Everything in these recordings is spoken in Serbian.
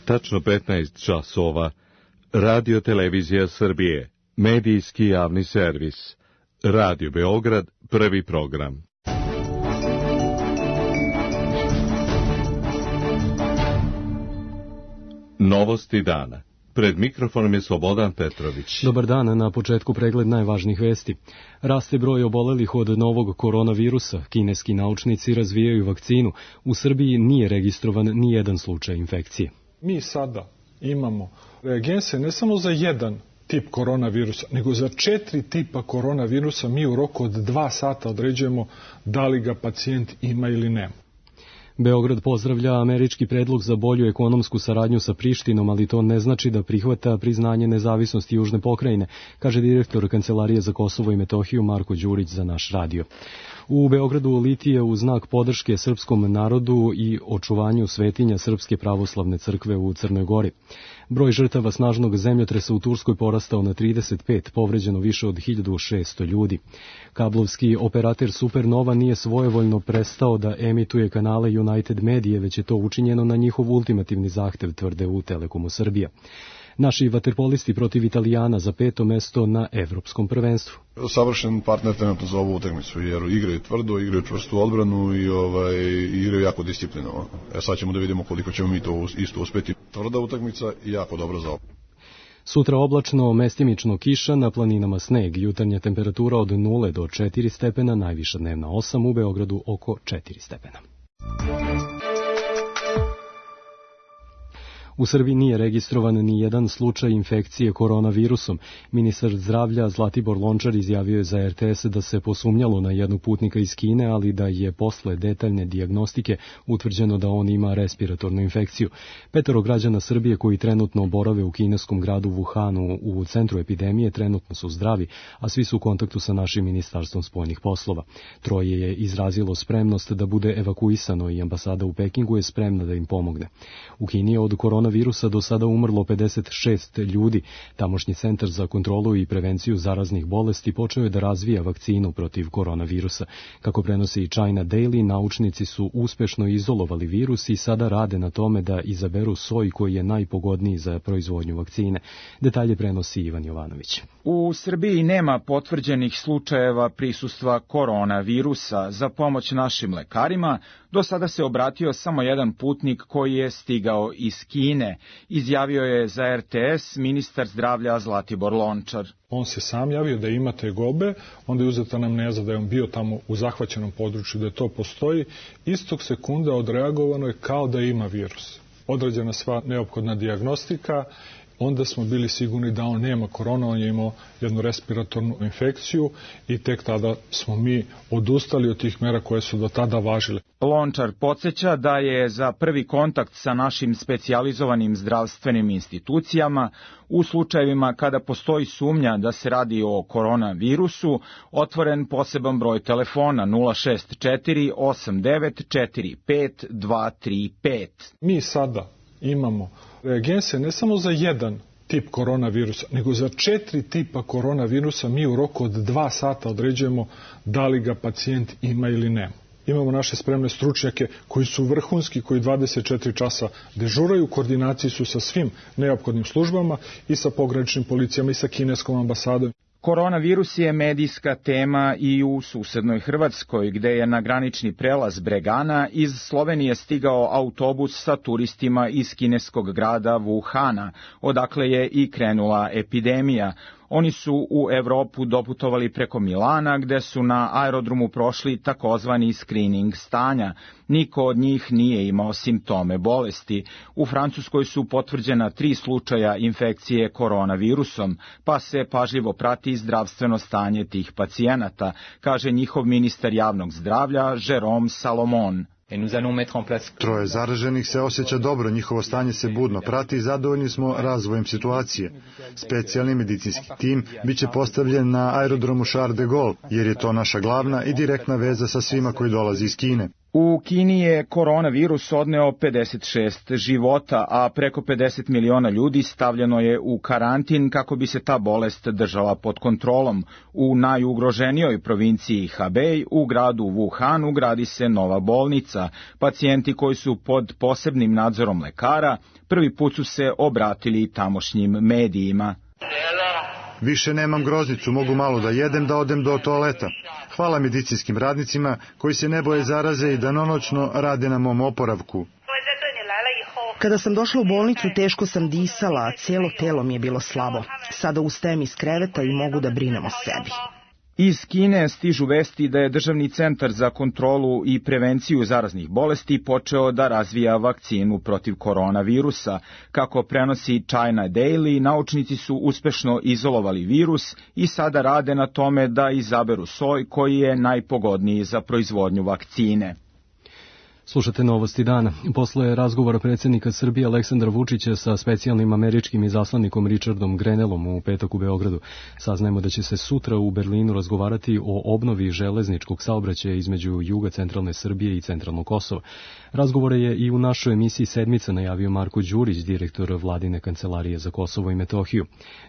Tačno 15 časova. Radio Televizija Srbije. Medijski javni servis. Radio Beograd, prvi program. Novosti dana. Pred mikrofonom je Slobodan Petrović. Dobar dan, na početku pregled najvažnijih vesti. Raste broj obolelih od novog koronavirusa. Kineski naučnici razvijaju vakcinu. U Srbiji nije registrovan ni jedan slučaj infekcije. Mi sada imamo reagense ne samo za jedan tip koronavirusa, nego za 4 tipa koronavirusa. Mi u roku od 2 sata određujemo da li ga pacijent ima ili nema. Beograd pozdravlja američki predlog za bolju ekonomsku saradnju sa Prištinom, ali to ne znači da prihvata priznanje nezavisnosti Južne pokrajine, kaže direktor Kancelarije za Kosovo i Metohiju Marko Đurić za naš radio. U Beogradu litije u znak podrške srpskom narodu i očuvanju svetinja Srpske pravoslavne crkve u Crnoj Gori. Broj žrtava snažnog zemljotresa u Turskoj porastao na 35, povređeno više od 1600 ljudi. Kablovski operater Supernova nije svojevoljno prestao da emituje kanale United Medije, već je to učinjeno na njihov ultimativni zahtev, tvrde u Telekomu Srbija. Naši vaterpolisti protiv Italijana za 5. mesto na evropskom prvenstvu. Savršen partner trenutno za ovu utakmicu, jer igraju tvrdo, igraju čvrstu odbranu i igraju jako disciplinovano. Sad ćemo da vidimo koliko ćemo mi to isto uspeti. Tvrda utakmica i jako dobro za ovo. Sutra oblačno, mestimično kiša, na planinama sneg, jutarnja temperatura od 0 do 4 stepena, najviša dnevna 8, u Beogradu oko 4 stepena. U Srbiji nije registrovan ni jedan slučaj infekcije koronavirusom. Ministar zdravlja Zlatibor Lončar izjavio je za RTS da se posumnjalo na jednog putnika iz Kine, ali da je posle detaljne dijagnostike utvrđeno da on ima respiratornu infekciju. 5 građana Srbije koji trenutno borave u kineskom gradu Wuhanu u centru epidemije trenutno su zdravi, a svi su u kontaktu sa našim ministarstvom spoljnih poslova. 3 je izrazilo spremnost da bude evakuisano i ambasada u Pekingu je spremna da im pomogne. U Kini je od koronavirusa do sada umrlo 56 ljudi. Tamošnji centar za kontrolu i prevenciju zaraznih bolesti počeo je da razvija vakcinu protiv koronavirusa. Kako prenosi i China Daily, naučnici su uspešno izolovali virus i sada rade na tome da izaberu soj koji je najpogodniji za proizvodnju vakcine. Detalje prenosi Ivan Jovanović. U Srbiji nema potvrđenih slučajeva prisustva koronavirusa. Za pomoć našim lekarima do sada se obratio samo jedan putnik koji je stigao iz Kine, izjavio je za RTS ministar zdravlja Zlatibor Lončar. On se sam javio da ima tegobe, onda je uzeta anamneza da je on bio tamo u zahvaćenom području, da to postoji. Istog sekunda odreagovano je kao da ima virus. Odrađena sva neophodna dijagnostika, onda smo bili sigurni da on nema korona, on je imao jednu respiratornu infekciju i tek tada smo mi odustali od tih mera koje su do tada važile. Lončar podsjeća da je za prvi kontakt sa našim specijalizovanim zdravstvenim institucijama u slučajevima kada postoji sumnja da se radi o koronavirusu otvoren poseban broj telefona 064 89 45 235. Mi sada imamo reagense ne samo za jedan tip koronavirusa, nego za 4 tipa koronavirusa. Mi u roku od 2 sata određujemo da li ga pacijent ima ili nema. Imamo naše spremne stručnjake koji su vrhunski, koji 24 časa dežuraju, u koordinaciji su sa svim neophodnim službama i sa pograničnim policijama i sa kineskom ambasadom. Koronavirus je medijska tema i u susednoj Hrvatskoj, gde je na granični prelaz Bregana iz Slovenije stigao autobus sa turistima iz kineskog grada Wuhana, odakle je i krenula epidemija. Oni su u Evropu doputovali preko Milana, gde su na aerodromu prošli takozvani screening stanja. Niko od njih nije imao simptome bolesti. U Francuskoj su potvrđena 3 slučaja infekcije koronavirusom, pa se pažljivo prati zdravstveno stanje tih pacijenata, kaže njihov ministar javnog zdravlja Jérôme Salomon. 3 zaraženih se osjeća dobro, njihovo stanje se budno prati i zadovoljni smo razvojem situacije. Specijalni medicinski tim biće postavljen na aerodromu Charles de Gaulle, jer je to naša glavna i direktna veza sa svima koji dolazi iz Kine. U Kini je koronavirus odneo 56 života, a preko 50 miliona ljudi stavljeno je u karantin kako bi se ta bolest držala pod kontrolom. U najugroženijoj provinciji Hebei, u gradu Wuhanu, gradi se nova bolnica. Pacijenti koji su pod posebnim nadzorom lekara prvi put su se obratili tamošnjim medijima. Više nemam groznicu, mogu malo da jedem, da odem do toaleta. Hvala medicinskim radnicima koji se ne boje zaraze i danonoćno rade na mom oporavku. Kada sam došla u bolnicu, teško sam disala, a cijelo telo mi je bilo slabo. Sada ustajem iz kreveta i mogu da brinem o sebi. Iz Kine stižu vesti da je Državni centar za kontrolu i prevenciju zaraznih bolesti počeo da razvija vakcinu protiv koronavirusa. Kako prenosi China Daily, naučnici su uspešno izolovali virus i sada rade na tome da izaberu soj koji je najpogodniji za proizvodnju vakcine. Slušate Novosti dana. Posle razgovora predsjednika Srbije Aleksandra Vučića sa specijalnim američkim izaslanikom Richardom Grenellom u petak u Beogradu, saznajemo da će se sutra u Berlinu razgovarati o obnovi železničkog saobraćaja između juga centralne Srbije i centralnog Kosova. Razgovore je i u našoj emisiji Sedmica najavio Marko Đurić, direktor Vladine kancelarije za Kosovo i Metohiju.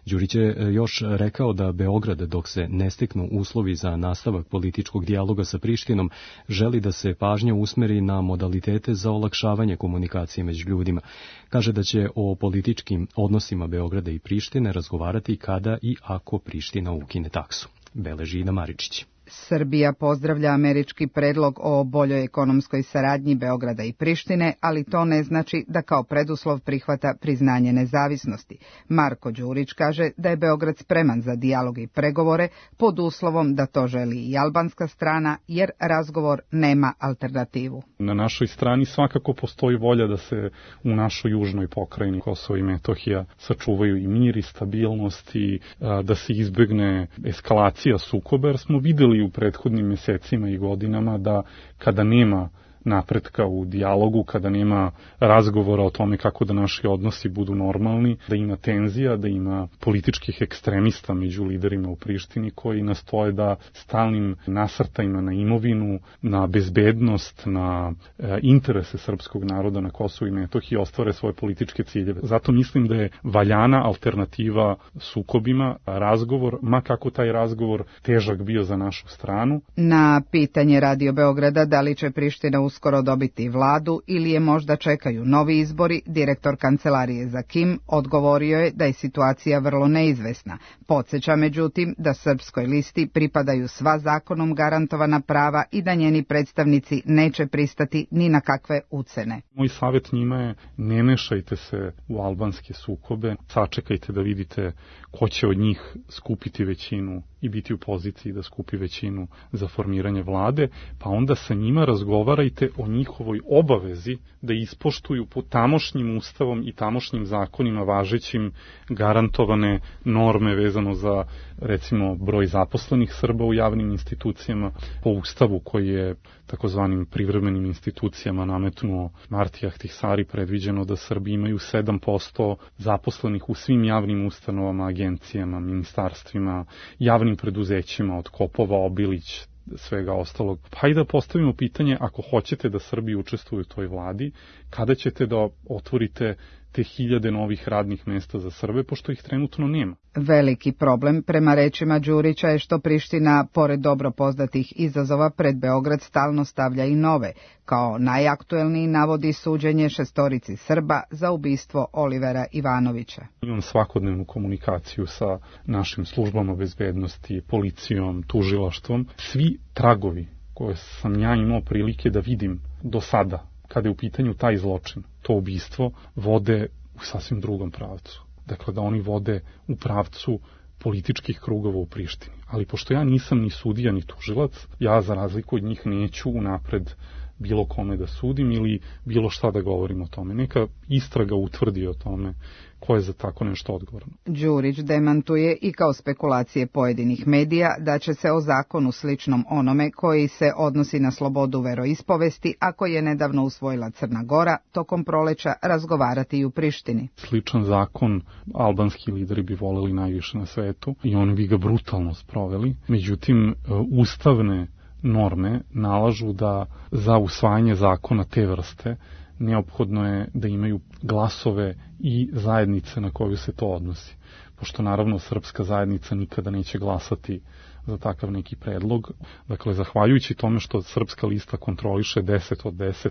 Đurić je još rekao da Beograd, dok se ne steknu uslovi za nastavak političkog dijaloga sa Prištinom, želi da se pažnja usmeri na modalitete za olakšavanje komunikacije među ljudima. Kaže da će o političkim odnosima Beograda i Prištine razgovarati kada i ako Priština ukine taksu. Beleži Ida Maričić. Srbija pozdravlja američki predlog o boljoj ekonomskoj saradnji Beograda i Prištine, ali to ne znači da kao preduslov prihvata priznanje nezavisnosti. Marko Đurić kaže da je Beograd spreman za dijalog i pregovore pod uslovom da to želi i albanska strana, jer razgovor nema alternativu. Na našoj strani svakako postoji volja da se u našoj južnoj pokrajini Kosovo i Metohija sačuvaju i mir i stabilnost i da se izbegne eskalacija sukoba, jer smo videli u prethodnim mesecima i godinama da kada nema napretka u dijalogu, kada nema razgovora o tome kako da naši odnosi budu normalni, da ima tenzija, da ima političkih ekstremista među liderima u Prištini koji nastoje da stalnim nasrtajima na imovinu, na bezbednost, na interese srpskog naroda na Kosovu i Metohiji ostvare svoje političke ciljeve. Zato mislim da je valjana alternativa sukobima, razgovor, ma kako taj razgovor težak bio za našu stranu. Na pitanje Radio Beograda da li će Priština uskoro dobiti vladu ili je možda čekaju novi izbori, direktor kancelarije za Kim odgovorio je da je situacija vrlo neizvesna. Podsjeća međutim da srpskoj listi pripadaju sva zakonom garantovana prava i da njeni predstavnici neće pristati ni na kakve ucene. Moj savjet njima je: ne mešajte se u albanske sukobe, sačekajte da vidite ko će od njih skupiti većinu i biti u poziciji da skupi većinu za formiranje vlade, pa onda sa njima razgovarajte o njihovoj obavezi da ispoštuju po tamošnjim ustavom i tamošnjim zakonima važećim garantovane norme vezano za, recimo, broj zaposlenih Srba u javnim institucijama, po ustavu koji je takozvanim privremenim institucijama nametnuo Marti Ahtisari, predviđeno da Srbi imaju 7% zaposlenih u svim javnim ustanovama, agencijama, ministarstvima, javnim preduzećima od Kopova, Obilić, svega ostalog. Pa i da postavimo pitanje, ako hoćete da Srbi učestvuju u toj vladi, kada ćete da otvorite te 1000 novih radnih mesta za Srbe, pošto ih trenutno nema. Veliki problem, prema rečima Đurića, je što Priština, pored dobro poznatih izazova, pred Beograd stalno stavlja i nove. Kao najaktuelniji navodi suđenje 6 Srba za ubistvo Olivera Ivanovića. Imam svakodnevnu komunikaciju sa našim službama bezbednosti, policijom, tužilaštvom. Svi tragovi koje sam ja imao prilike da vidim do sada, kada je u pitanju taj zločin, to ubistvo, vode u sasvim drugom pravcu. Dakle, da oni vode u pravcu političkih krugova u Prištini. Ali pošto ja nisam ni sudija ni tužilac, ja za razliku od njih neću unapred bilo kome da sudim ili bilo šta da govorim o tome. Neka istraga utvrdi o tome ko je za tako nešto odgovoran. Đurić demantuje i kao spekulacije pojedinih medija da će se o zakonu sličnom onome koji se odnosi na slobodu veroispovesti, a koji je nedavno usvojila Crna Gora, tokom proleća razgovarati i u Prištini. Sličan zakon albanski lideri bi voleli najviše na svetu i oni bi ga brutalno sproveli. Međutim, ustavne norme nalažu da za usvajanje zakona te vrste neophodno je da imaju glasove i zajednice na koju se to odnosi. Pošto naravno srpska zajednica nikada neće glasati za takav neki predlog. Dakle, zahvaljujući tome što srpska lista kontroliše 10 od 10,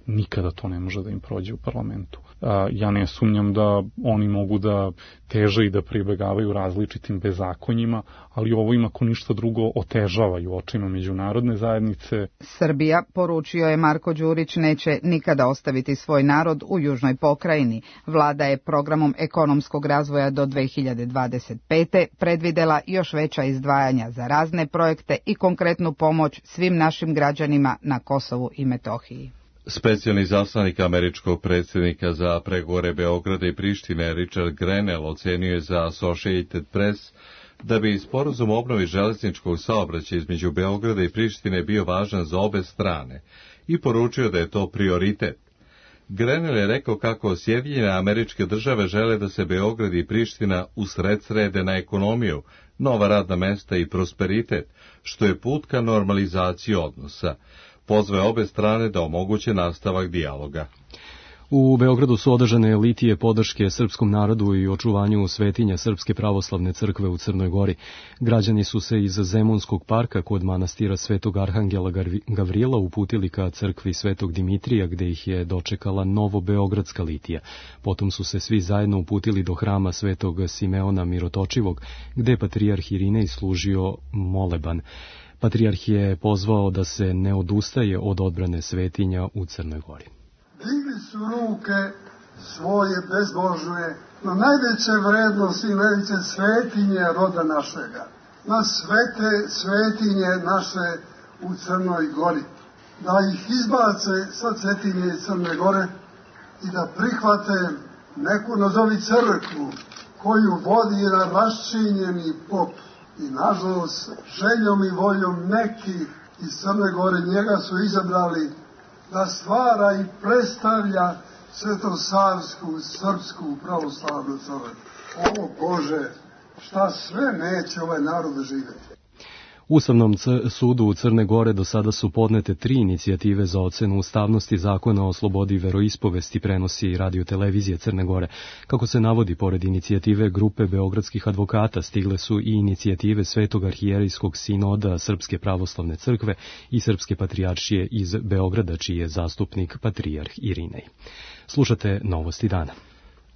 nikada to ne može da im prođe u parlamentu. Ja ne sumnjam da oni mogu da teže i da pribegavaju različitim bezakonjima, ali ovo im ako ništa drugo otežava i u očima međunarodne zajednice. Srbija, poručio je Marko Đurić, neće nikada ostaviti svoj narod u južnoj pokrajini. Vlada je programom ekonomskog razvoja do 2025. predvidela još veća izdvajanja za razne projekte i konkretnu pomoć svim našim građanima na Kosovu i Metohiji. Specijalni zaslanik američkog predsjednika za pregovore Beograda i Prištine Richard Grenell ocenio je za Associated Press da bi sporazum o obnovi železničkog saobraćaja između Beograda i Prištine bio važan za obe strane i poručio da je to prioritet. Grenell je rekao kako Sjedinjene Američke Države žele da se Beograd i Priština usredsrede na ekonomiju, nova radna mesta i prosperitet, što je put ka normalizaciji odnosa. Pozvao obe strane da omoguće nastavak dijaloga. U Beogradu su održane litije podrške srpskom narodu i očuvanju svetinja Srpske pravoslavne crkve u Crnoj Gori. Građani su se iz Zemunskog parka kod manastira Svetog Arhangela Gavrila uputili ka crkvi Svetog Dimitrija, gde ih je dočekala novobeogradska litija. Potom su se svi zajedno uputili do hrama Svetog Simeona Mirotočivog, gde je patrijarh Irinej služio moleban. Patrijarh je pozvao da se ne odustaje od odbrane svetinja u Crnoj Gori. Digli su ruke svoje bezbožne na najveće vrednosti i najveće svetinje roda našega, na svete svetinje naše u Crnoj Gori, da ih izbace sa svetinje iz Crne Gore i da prihvate neku nazovi crkvu koju vodi jedan raščinjeni pop. I nažalost, željom i voljom nekih iz Crne Gore njega su izabrali da stvara i predstavlja svetosavsku, srpsku pravoslavnu crkvu. O Bože, šta sve neće ovaj narod živjeti. Ustavnom sudu u Crne Gore do sada su podnete 3 inicijative za ocenu ustavnosti zakona o slobodi veroispovesti, prenosi radiotelevizije Crne Gore. Kako se navodi, pored inicijative grupe beogradskih advokata, stigle su i inicijative Svetog arhijerejskog sinoda Srpske pravoslavne crkve i Srpske patrijaršije iz Beograda, čiji je zastupnik patrijarh Irinej. Slušate Novosti dana.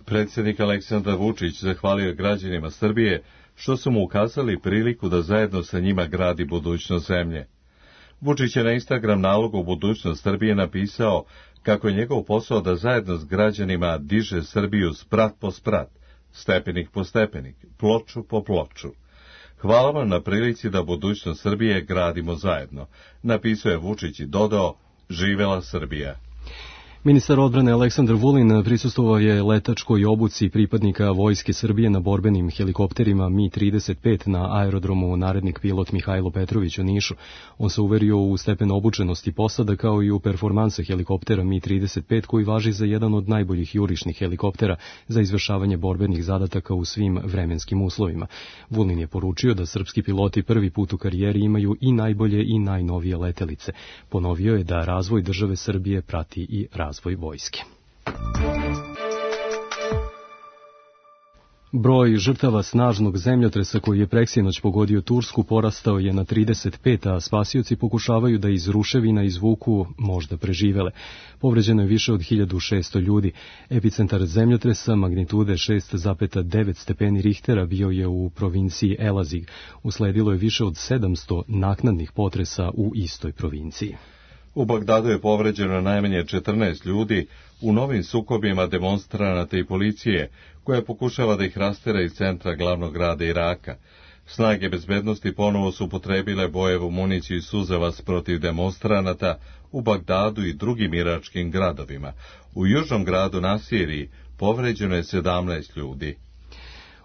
Predsjednik Aleksandar Vučić zahvalio građanima Srbije što su mu ukazali priliku da zajedno sa njima gradi budućnost zemlje. Vučić je na Instagram nalogu budućnost Srbije napisao kako je njegov posao da zajedno s građanima diže Srbiju sprat po sprat, stepenik po stepenik, ploču po ploču. Hvala vam na prilici da budućnost Srbije gradimo zajedno, napisao je Vučić i dodao, živela Srbija. Ministar odbrane Aleksandar Vulin prisustvovao je letačkoj obuci pripadnika Vojske Srbije na borbenim helikopterima Mi-35 na aerodromu Narednik pilot Mihajlo Petrović u Nišu. On se uverio u stepen obučenosti posada kao i u performanse helikoptera Mi-35 koji važi za jedan od najboljih jurišnih helikoptera za izvršavanje borbenih zadataka u svim vremenskim uslovima. Vulin je poručio da srpski piloti prvi put u karijeri imaju i najbolje i najnovije letelice. Ponovio je da razvoj države Srbije prati i razvoj vojske. Broj žrtava snažnog zemljotresa koji je preksinoć pogodio Tursku porastao je na 35, a spasioci pokušavaju da iz ruševina izvuku možda preživele. Povređeno je više od 1600 ljudi. Epicentar zemljotresa magnitude 6,9 stepeni Richtera bio je u provinciji Elazig. Usledilo je više od 700 naknadnih potresa u istoj provinciji. U Bagdadu je povređeno najmanje 14 ljudi u novim sukobima demonstranata i policije, koja pokušava da ih rastera iz centra glavnog grada Iraka. Snage bezbednosti ponovo su upotrebile bojevu municiju i suzavac protiv demonstranata u Bagdadu i drugim iračkim gradovima. U južnom gradu Nasiriji povređeno je 17 ljudi.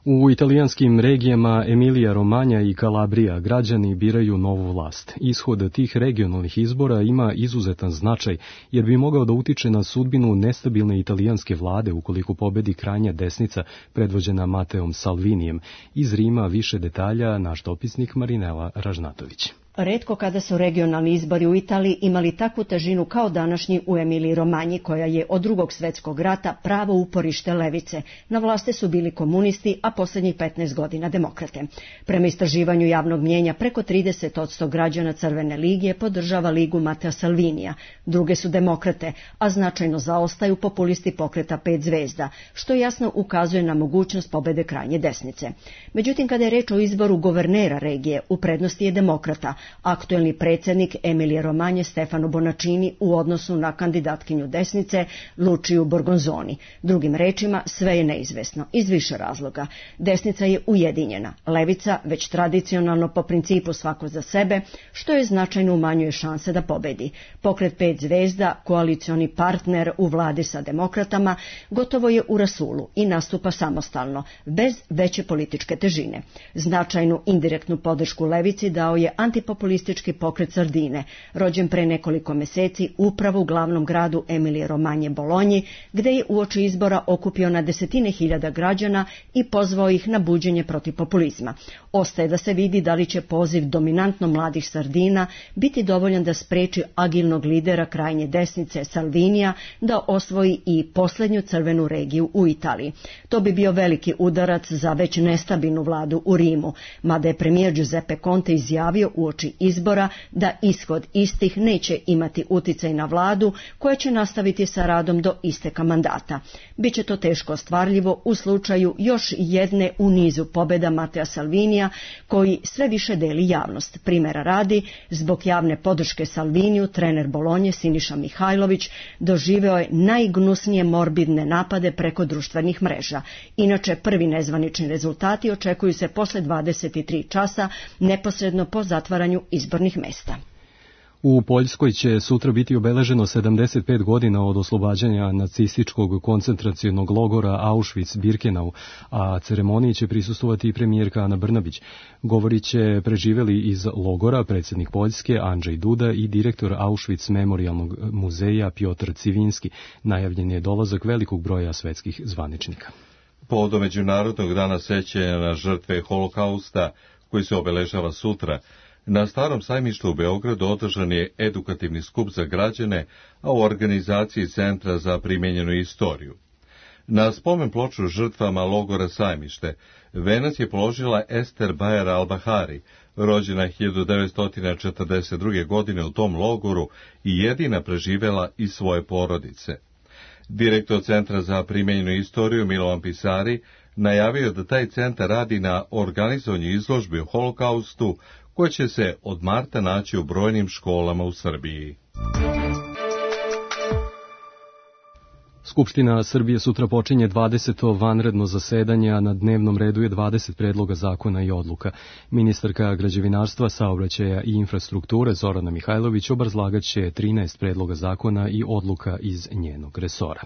U italijanskim regijama Emilija Romanja i Kalabrija građani biraju novu vlast. Ishod tih regionalnih izbora ima izuzetan značaj, jer bi mogao da utiče na sudbinu nestabilne italijanske vlade ukoliko pobedi krajnja desnica predvođena Mateom Salvinijem. Iz Rima više detalja naš dopisnik Marinela Ražnatović. Retko kada su regionalni izbori u Italiji imali takvu težinu kao današnji u Emiliji Romanji, koja je od Drugog svjetskog rata pravo uporište levice. Na vlasti su bili komunisti, a posljednjih 15 godina demokrate. Prema istraživanju javnog mnijenja, preko 30% građana Crvene ligije podržava ligu Matteo Salvinija. Druge su demokrate, a značajno zaostaju populisti pokreta 5 zvezda, što jasno ukazuje na mogućnost pobede krajnje desnice. Međutim, kada je reč o izboru guvernera regije, u prednosti je demokrata, aktuelni predsjednik Emilije Romanje Stefano Bonaccini u odnosu na kandidatkinju desnice Luciju Borgonzoni. Drugim rečima, sve je neizvesno, iz više razloga. Desnica je ujedinjena, levica već tradicionalno po principu svako za sebe, što je značajno umanjuje šanse da pobedi. Pokret 5 zvezda, koalicioni partner u vladi sa demokratama, gotovo je u rasulu i nastupa samostalno, bez veće političke težine. Značajnu indirektnu podršku levici dao je antipopulistički pokret Sardine, rođen pre nekoliko meseci upravo u glavnom gradu Emilije Romanje Bolonji, gde je uoči izbora okupio na desetine hiljada građana i pozvao ih na buđenje protiv populizma. Ostaje da se vidi da li će poziv dominantno mladih Sardina biti dovoljan da spreči agilnog lidera krajnje desnice Salvinija da osvoji i posljednju crvenu regiju u Italiji. To bi bio veliki udarac za već nestabilnu vladu u Rimu, mada je premijer Giuseppe Conte izjavio uoči izbora da ishod istih neće imati uticaj na vladu, koja će nastaviti sa radom do isteka mandata. Biće to teško ostvarljivo u slučaju još jedne u nizu pobjeda Mattea Salvinija, koji sve više deli javnost. Primjera radi, zbog javne podrške Salviniju, trener Bolonje Siniša Mihajlović doživeo je najgnusnije morbidne napade preko društvenih mreža. Inače, prvi nezvanični rezultati očekuju se posle 23 časa, neposredno po zatvaranju izbornih mesta. U Poljskoj će sutra biti obeleženo 75 godina od oslobađanja nacističkog koncentracionog logora Auschwitz-Birkenau, a ceremoniji će prisustvovati i premijerka Ana Brnabić. Govorit će preživeli iz logora predsjednik Poljske Andrzej Duda i direktor Auschwitz memorialnog muzeja Piotr Civinski. Najavljen je dolazak velikog broja svetskih zvaničnika. Povodom Međunarodnog dana sećanja na žrtve Holokausta, koji se obeležava sutra, na Starom sajmištu u Beogradu održan je edukativni skup za građane, a u organizaciji Centra za primijenjenu istoriju. Na spomen ploču žrtvama logora Sajmište venac je položila Ester Bajer Albahari, rođena 1942. godine u tom logoru i jedina preživela iz svoje porodice. Direktor Centra za primijenjenu istoriju Milovan Pisari najavio da taj centar radi na organizovanju izložbi o Holokaustu, koje će se od marta naći u brojnim školama u Srbiji. Skupština Srbije sutra počinje 20. vanredno zasedanje, a na dnevnom redu je 20 predloga zakona i odluka. Ministarka građevinarstva, saobraćaja i infrastrukture Zorana Mihajlović obrazlagat će 13 predloga zakona i odluka iz njenog resora.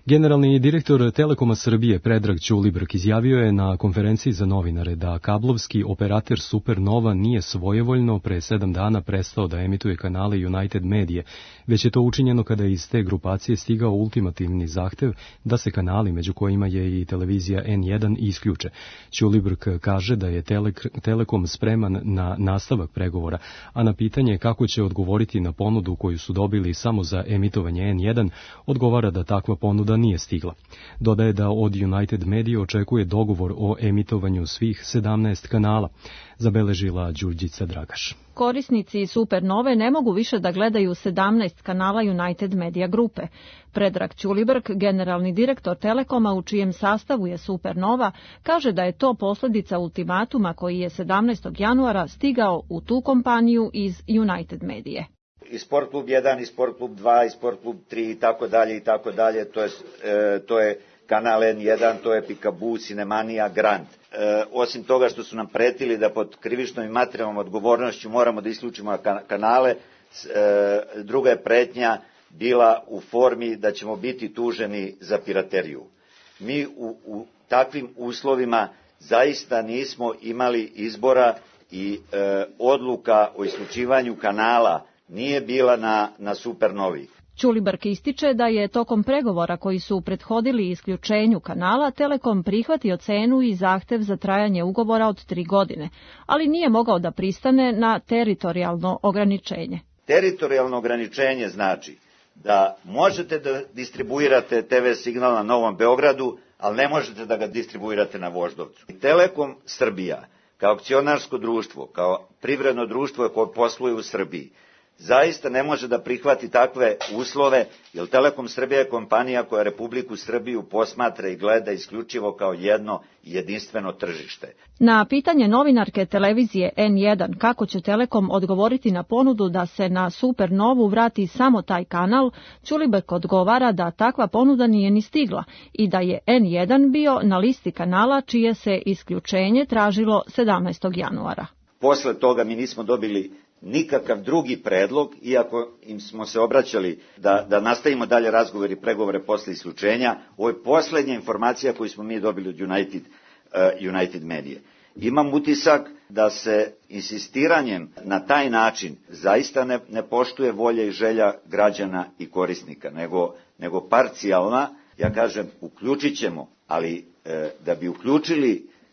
Generalni direktor Telekoma Srbije Predrag Ćulibrk izjavio je na konferenciji za novinare da kablovski operater Supernova nije svojevoljno pre 7 dana prestao da emituje kanale United Medije, već je to učinjeno kada je iz te grupacije stigao ultimativni zahtev da se kanali, među kojima je i televizija N1, isključe. Ćulibrk kaže da je Telekom spreman na nastavak pregovora, a na pitanje kako će odgovoriti na ponudu koju su dobili samo za emitovanje N1, odgovara da takva ponuda nije stigla. Dodaje da od United Media očekuje dogovor o emitovanju svih 17 kanala, zabeležila Đurđica Dragaš. Korisnici Supernove ne mogu više da gledaju 17 kanala United Media grupe. Predrag Ćulibrk, generalni direktor Telekoma u čijem sastavu je Supernova, kaže da je to posljedica ultimatuma koji je 17. januara stigao u tu kompaniju iz United Medije. I Sport klub 1, i Sport klub 2, i Sport klub 3 i tako dalje, to je kanal N1, to je Pikabu, Cinemanija, Grand. Osim toga što su nam pretili da pod krivičnom i materijalnom odgovornošću moramo da isključimo kanale, druga je pretnja bila u formi da ćemo biti tuženi za pirateriju. Mi u takvim uslovima zaista nismo imali izbora i odluka o isključivanju kanala nije bila na Supernovi. Ćulibrk ističe da je tokom pregovora koji su prethodili isključenju kanala Telekom prihvatio cenu i zahtev za trajanje ugovora od 3 godine, ali nije mogao da pristane na teritorijalno ograničenje. Teritorijalno ograničenje znači da možete da distribuirate TV signal na Novom Beogradu, ali ne možete da ga distribuirate na Voždovcu. Telekom Srbija, kao akcionarsko društvo, kao privredno društvo koje posluje u Srbiji, zaista ne može da prihvati takve uslove, jer Telekom Srbija je kompanija koja Republiku Srbiju posmatra i gleda isključivo kao jedno jedinstveno tržište. Na pitanje novinarke televizije N1 kako će Telekom odgovoriti na ponudu da se na Supernovu vrati samo taj kanal, Ćulibrk odgovara da takva ponuda nije ni stigla i da je N1 bio na listi kanala čije se isključenje tražilo 17. januara. Posle toga mi nismo dobili nikakav drugi predlog, iako im smo se obraćali da nastavimo dalje razgovor i pregovore posle isključenja. Ovo je poslednja informacija koju smo mi dobili od United Media. Imam utisak da se insistiranjem na taj način zaista ne poštuje volja i želja građana i korisnika, nego parcijalna. Ja kažem, uključit ćemo, ali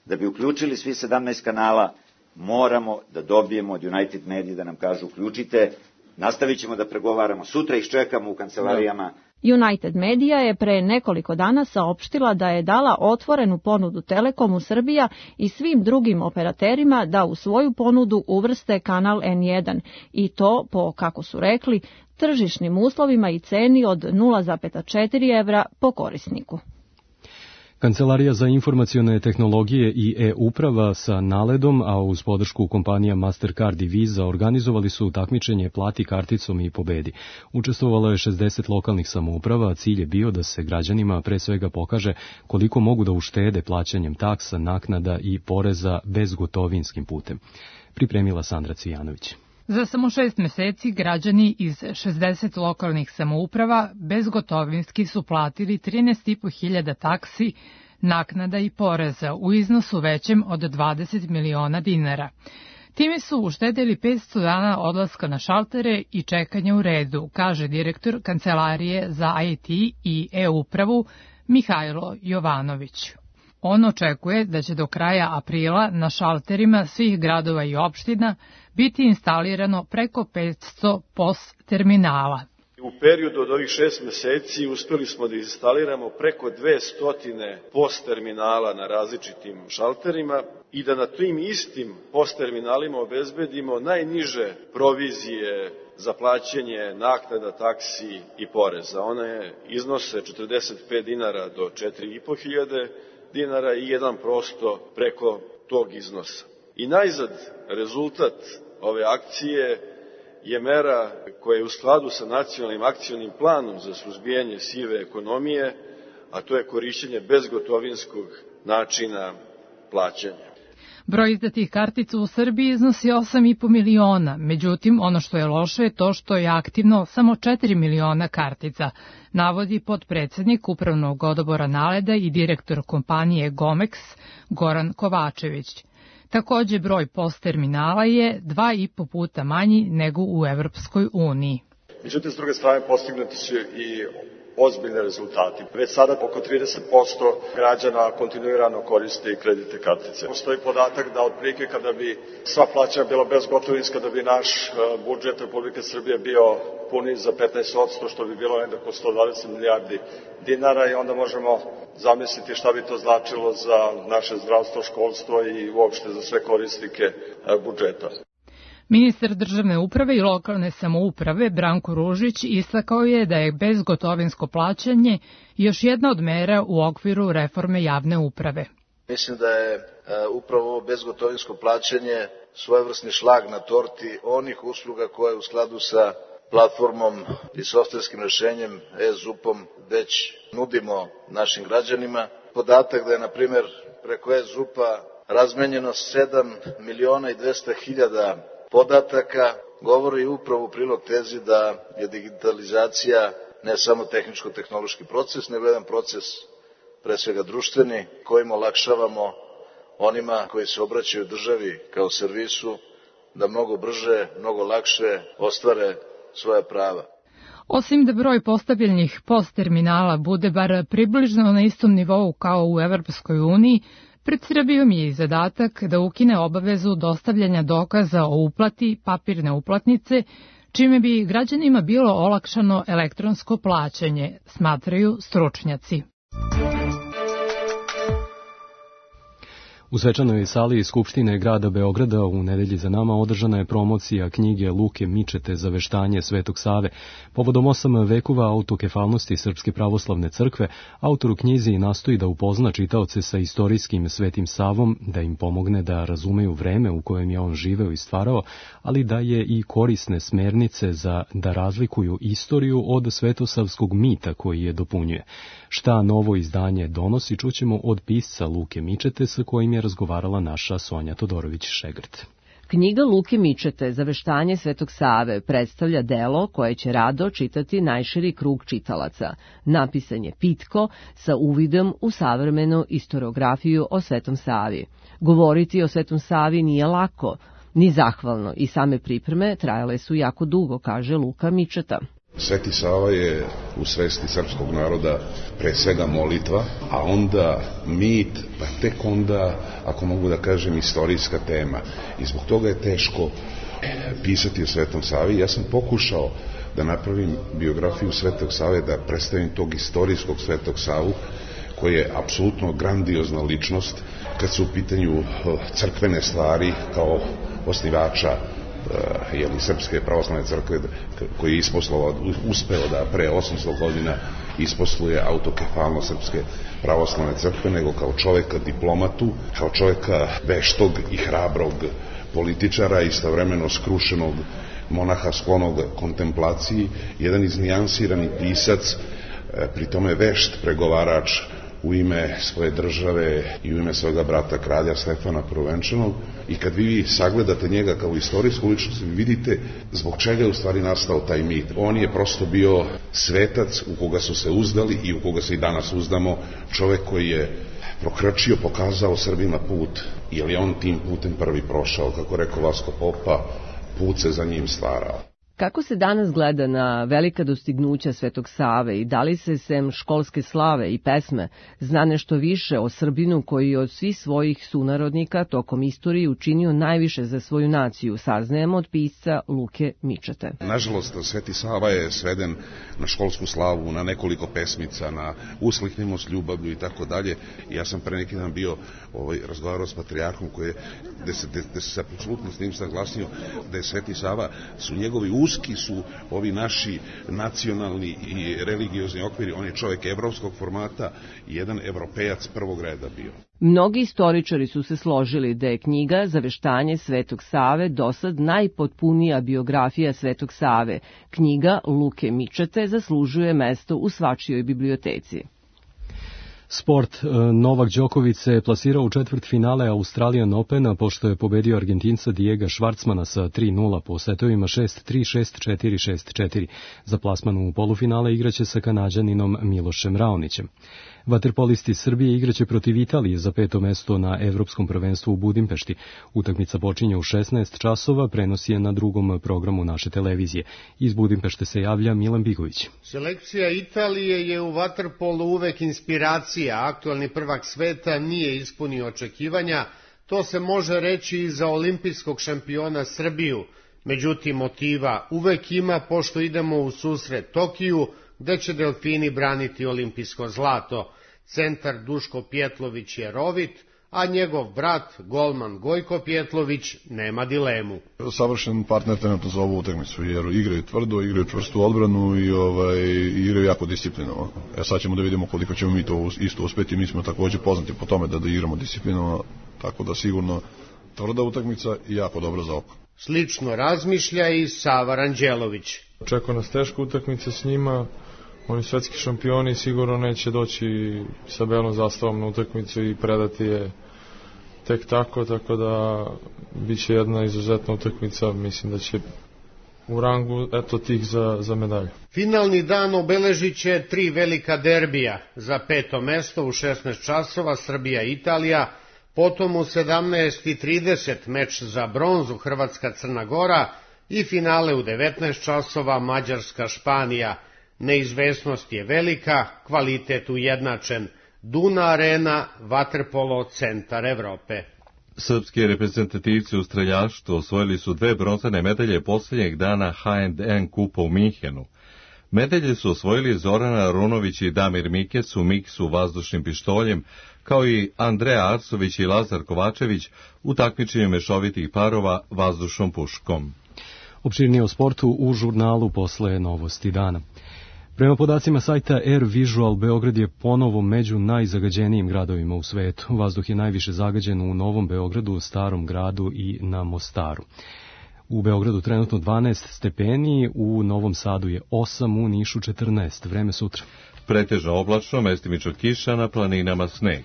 da bi uključili svi 17 kanala, moramo da dobijemo od United Media da nam kažu uključite, nastavit ćemo da pregovaramo, sutra ih čekamo u kancelarijama. United Media je pre nekoliko dana saopštila da je dala otvorenu ponudu Telekomu Srbija i svim drugim operaterima da u svoju ponudu uvrste kanal N1 i to po, kako su rekli, tržišnim uslovima i ceni od 0,4 evra po korisniku. Kancelarija za informacione tehnologije i e-uprava sa Naledom, a uz podršku kompanija Mastercard i Visa organizovali su takmičenje Plati karticom i pobedi. Učestvovalo je 60 lokalnih samouprava, a cilj je bio da se građanima pre svega pokaže koliko mogu da uštede plaćanjem taksa, naknada i poreza bezgotovinskim putem. Pripremila Sandra Cvijanović. Za samo 6 meseci građani iz 60 lokalnih samouprava bezgotovinski su platili 13.500 taksi, naknada i poreza u iznosu većem od 20 miliona dinara. Time su uštedeli 500 dana odlaska na šaltere i čekanja u redu, kaže direktor Kancelarije za IT i e-upravu Mihajlo Jovanović. On očekuje da će do kraja aprila na šalterima svih gradova i opština biti instalirano preko 500 POS terminala. U periodu od ovih 6 meseci uspeli smo da instaliramo preko 200 POS terminala na različitim šalterima i da na tim istim POS terminalima obezbedimo najniže provizije za plaćanje naknada, taksi i poreza. One iznose 45 dinara do 4.500 dinara i 1% preko tog iznosa. I najzad rezultat ove akcije je mera koja je u skladu sa nacionalnim akcionim planom za suzbijanje sive ekonomije, a to je korišćenje bezgotovinskog načina plaćanja. Broj izdatih kartica u Srbiji iznosi 8,5 miliona, međutim ono što je loše je to što je aktivno samo 4 miliona kartica, navodi potpredsednik Upravnog odbora Naleda i direktor kompanije Gomex Goran Kovačević. Takođe, broj POS terminala je 2,5 puta manji nego u Evropskoj uniji. Međutim, s druge strane, postignuti su i ozbiljne rezultati. Već sada oko 30% građana kontinuirano koriste kreditne kartice. Postoji podatak da otprilike kada bi sva plaćanja bila bezgotovinska, da bi naš budžet Republike Srbije bio puni za 15%, što bi bilo negde oko 120 milijardi dinara i onda možemo zamisliti šta bi to značilo za naše zdravstvo, školstvo i uopšte za sve korisnike budžeta. Ministar državne uprave i lokalne samouprave Branko Ružić istakao je da je bezgotovinsko plaćanje još jedna od mera u okviru reforme javne uprave. Mislim da je upravo ovo bezgotovinsko plaćanje svojevrsni šlag na torti onih usluga koje u skladu sa platformom i softverskim rešenjem e-ZUP-om već nudimo našim građanima. Podatak da je, na primjer, preko e-ZUP-a razmenjeno 7.200.000 podataka govori upravo u prilog tezi da je digitalizacija ne samo tehničko-tehnološki proces, nego jedan proces pre svega društveni, kojim olakšavamo onima koji se obraćaju državi kao servisu da mnogo brže, mnogo lakše ostvare svoja prava. Osim da broj postavljenih POS terminala bude bar približno na istom nivou kao u Evropskoj uniji, pred Srbijom je i zadatak da ukine obavezu dostavljanja dokaza o uplati papirne uplatnice, čime bi građanima bilo olakšano elektronsko plaćanje, smatraju stručnjaci. U svečanoj sali Skupštine grada Beograda u nedelji za nama održana je promocija knjige Luke Mičete Zaveštanje Svetog Save. Povodom 8 vekova autokefalnosti Srpske pravoslavne crkve, autor u knjizi nastoji da upozna čitaoce sa istorijskim Svetim Savom, da im pomogne da razumeju vreme u kojem je on živeo i stvarao, ali da je i korisne smernice za da razlikuju istoriju od svetosavskog mita koji je dopunjuje. Šta novo izdanje donosi, čućemo od pisca Luke Mičete sa kojim je razgovarala naša Sonja Todorović-Šegrt. Knjiga Luke Mičete Zaveštanje Svetog Save predstavlja delo koje će rado čitati najširi krug čitalaca. Napisan je pitko, sa uvidom u savremenu istoriografiju o Svetom Savi. Govoriti o Svetom Savi nije lako, ni zahvalno, i same pripreme trajale su jako dugo, kaže Luka Mičeta. Sveti Sava je u svesti srpskog naroda pre svega molitva, a onda mit, pa tek onda, ako mogu da kažem, istorijska tema. I zbog toga je teško pisati o Svetom Savi. Ja sam pokušao da napravim biografiju Svetog Save, da predstavim tog istorijskog Svetog Savu, koji je apsolutno grandiozna ličnost kad su u pitanju crkvene stvari kao osnivača Srpske pravoslavne crkve, koji je uspeo da pre 800 godina isposluje autokefalnost Srpske pravoslavne crkve, nego kao čoveka diplomatu, kao čoveka veštog i hrabrog političara, istovremeno skrušenog monaha sklonog kontemplaciji, jedan iznijansirani pisac, pri tome vešt pregovarač u ime svoje države i u ime svojega brata kralja Stefana Prvenčanog. I kad vi sagledate njega kao istorijsku ličnost, vi vidite zbog čega je u stvari nastao taj mit. On je prosto bio svetac u koga su se uzdali i u koga se i danas uzdamo, čovek koji je prokrčio, pokazao Srbima put, jer je on tim putem prvi prošao, kako rekao Vasko Popa, put se za njim stvarao. Kako se danas gleda na velika dostignuća Svetog Save i da li se sem školske slave i pesme zna nešto više o Srbinu koji je od svih svojih sunarodnika tokom istorije učinio najviše za svoju naciju, saznajemo od pisca Luke Mičete. Nažalost, Sveti Sava je sveden na školsku slavu, na nekoliko pesmica, na Usliknimo s ljubavlju i tako dalje. Ja sam pre neki dan bio razgovarao s patrijarhom gde se apsolutno s njim saglasio da je Sveti Sava, su njegovi uski su ovi naši nacionalni i religiozni okviri, on je čovjek evropskog formata i jedan evropejac prvog reda bio. Mnogi istoričari su se složili da je knjiga Zaveštanje Svetog Save dosad najpotpunija biografija Svetog Save. Knjiga Luke Mičete zaslužuje mesto u svačijoj biblioteci. Sport. Novak Đoković se plasirao u četvrtfinale Australian Opena pošto je pobedio Argentinca Diega Švarcmana sa 3-0 po setovima 6-3, 6-4, 6-4. Za plasman u polufinale igraće sa Kanađaninom Milošem Raonićem. Vaterpolisti Srbije igraće protiv Italije za 5. mesto na Evropskom prvenstvu u Budimpešti. Utakmica počinje u 16 časova, prenosi je na drugom programu naše televizije. Iz Budimpešte se javlja Milan Bigović. Selekcija Italije je u vaterpolu uvek inspiracija. Aktualni prvak sveta nije ispunio očekivanja. To se može reći i za olimpijskog šampiona Srbiju. Međutim, motiva uvek ima pošto idemo u susret Tokiju, gde će delfini braniti olimpijsko zlato. Centar Duško Pjetlović je rovit, a njegov brat, golman Gojko Pjetlović, nema dilemu. Savršen partner trenutno za ovu utakmicu, jer igraju tvrdo, igraju čvrstu odbranu i igraju jako disciplinovano. Sad ćemo da vidimo koliko ćemo mi to isto uspeti. Mi smo također poznati po tome da igramo disciplinovano, tako da sigurno tvrda utakmica i jako dobro za oko. Slično razmišlja i Sava Ranđelović. Očekuje nas teška utakmica s njima. Oni svetski šampioni, sigurno neće doći sa belom zastavom na utakmicu i predati je tek tako da bit će jedna izuzetna utakmica, mislim da će u rangu tih za medalju. Finalni dan obeležit će 3 velika derbija. Za 5. mesto u 16 časova Srbija-Italija, potom u 17:30 meč za bronzu Hrvatska-Crna Gora, i finale u 19 časova Mađarska-Španija. Neizvesnost je velika, kvalitet ujednačen. Duna Arena, vaterpolo, centar Evrope. Srpski reprezentativci u streljaštvu osvojili su 2 bronzane medalje posljednjeg dana H&N kupa u Minhenu. Medalje su osvojili Zorana Runović i Damir Mikec u miksu vazdušnim pištoljem, kao i Andreja Arsović i Lazar Kovačević u takmičenju mešovitih parova vazdušnom puškom. Opširnije o sportu u žurnalu posle novosti dana. Prema podacima sajta Air Visual, Beograd je ponovo među najzagađenijim gradovima u svetu. Vazduh je najviše zagađen u Novom Beogradu, Starom gradu i na Mostaru. U Beogradu trenutno 12 stepeni, u Novom Sadu je 8, u Nišu 14. Vreme sutra. Pretežno oblačno, mestimično kiša, na planinama sneg.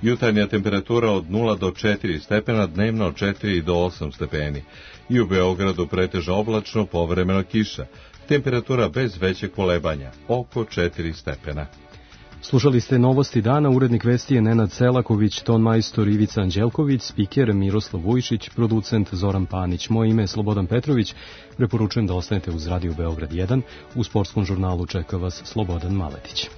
Jutarnja temperatura od 0 do 4 stepena, dnevno od 4 do 8 stepeni. I u Beogradu pretežno oblačno, povremeno kiša. Temperatura bez većeg kolebanja, oko 4 stepena. Slušali ste novosti dana, urednik vesti je Nenad Selaković, tonmajstor Ivica Anđelković, spiker Miroslav Vujšić, producent Zoran Panić. Moje ime je Slobodan Petrović, preporučujem da ostanete uz Radio Beograd 1, u sportskom žurnalu čeka vas Slobodan Maletić.